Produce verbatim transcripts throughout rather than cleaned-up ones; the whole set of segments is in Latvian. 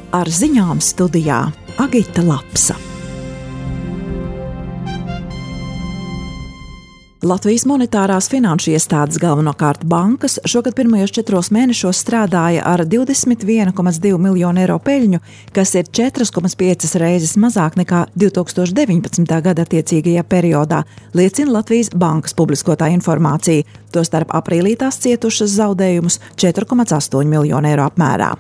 Ar ziņām studijā Agita Lapsa. Latvijas monetārās finanšu iestādes, galvenokārt bankas, šogad pirmajos četros mēnešos strādāja ar divdesmit viens komats divi miljonu eiro peļņu, kas ir četras komats piecas reizes mazāk nekā divi tūkstoši deviņpadsmitā gada attiecīgajā periodā, liecina Latvijas bankas publiskotā informācija, tostarp aprīlī tās cietušas zaudējumus četri komats astoņi miljonu eiro apmērā.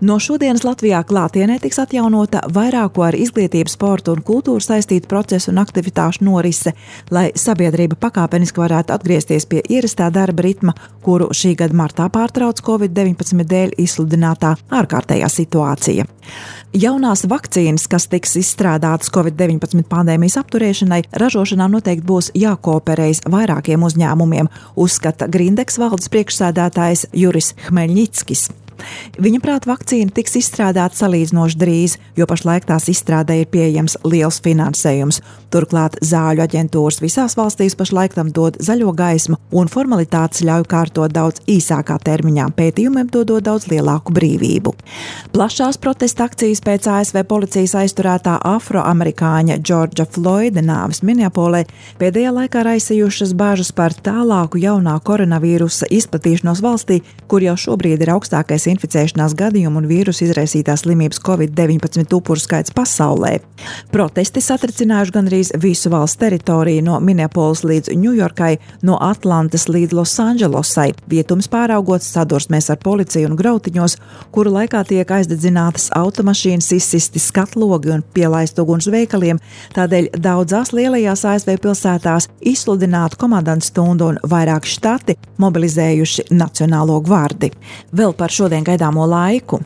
No šodienas Latvijā klātienē tiks atjaunota vairāko ar izglītību, sportu un kultūru saistītu procesu un aktivitāšu norise, lai sabiedrība pakāpeniski varētu atgriezties pie ierastā darba ritma, kuru šī gada martā pārtrauc covid deviņpadsmit dēļ izsludinātā ārkārtējā situācija. Jaunās vakcīnas, kas tiks izstrādātas covid deviņpadsmit pandēmijas apturēšanai, ražošanā noteikti būs jākooperējas vairākiem uzņēmumiem, uzskata Grindeks valdes priekšsēdētājs Juris Hmeļņickis. Viņa prāt, vakcīna tiks izstrādāta salīdzinoši drīz, jo pašlaik tās izstrādē ir pieejams liels finansējums. Turklāt zāļu aģentūras visās valstīs pašlaik tam dod zaļo gaismu un formalitātes ļauj kārtot daudz īsākā termiņā, pētījumiem dodot daudz lielāku brīvību. Plašās protesta akcijas pēc A S V policijas aizturētā afroamerikāņa Džordža Floyda nāves Minneapolē pēdējā laikā raisījušas bāžas par tālāku jaunā koronavīrusa izplatīšanos valstī, kur jau šobrīd ir augstākais inficēšanās gadījumu un vīrusu izraisītās slimības covid deviņpadsmit upuru skaits pasaulē. Protesti satricinājuši gandrīz visu valsts teritoriju no Minneapolis līdz Ņujorkai, no Atlantas līdz Losandželosai, vietums pāraugot sadursmēs ar policiju un grautiņos, kuru laikā tiek aizdedzinātas automašīnas, izsisti skatlogi un pielaist uguns veikaliem, tādēļ daudzās lielajās A S V pilsētās izsludinātu komandantu stundu un vairāki štati mobilizējuši Nacionālo gvardi. Vēl par šodien gaidāmo laiku.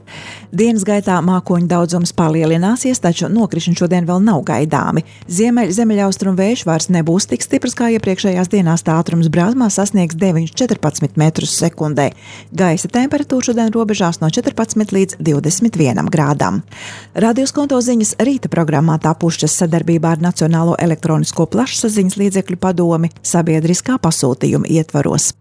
Dienas gaitā mākoņu daudzums palielināsies, taču nokrišņi šodien vēl nav gaidāmi. Ziemeļ ziemeļaustrumu vējš vairs nebūs tik stiprs kā iepriekšējās dienās, tā ātrums Brāzmā sasniegs deviņi līdz četrpadsmit metrus sekundē. Gaisa temperatūra šodien robežās no četrpadsmit līdz divdesmit vienam grādam. Radio Skonto ziņas rīta programmā tapušas sadarbībā ar Nacionālo elektronisko plašsaziņas līdzekļu padomi sabiedriskā pasūtījuma ietvaros.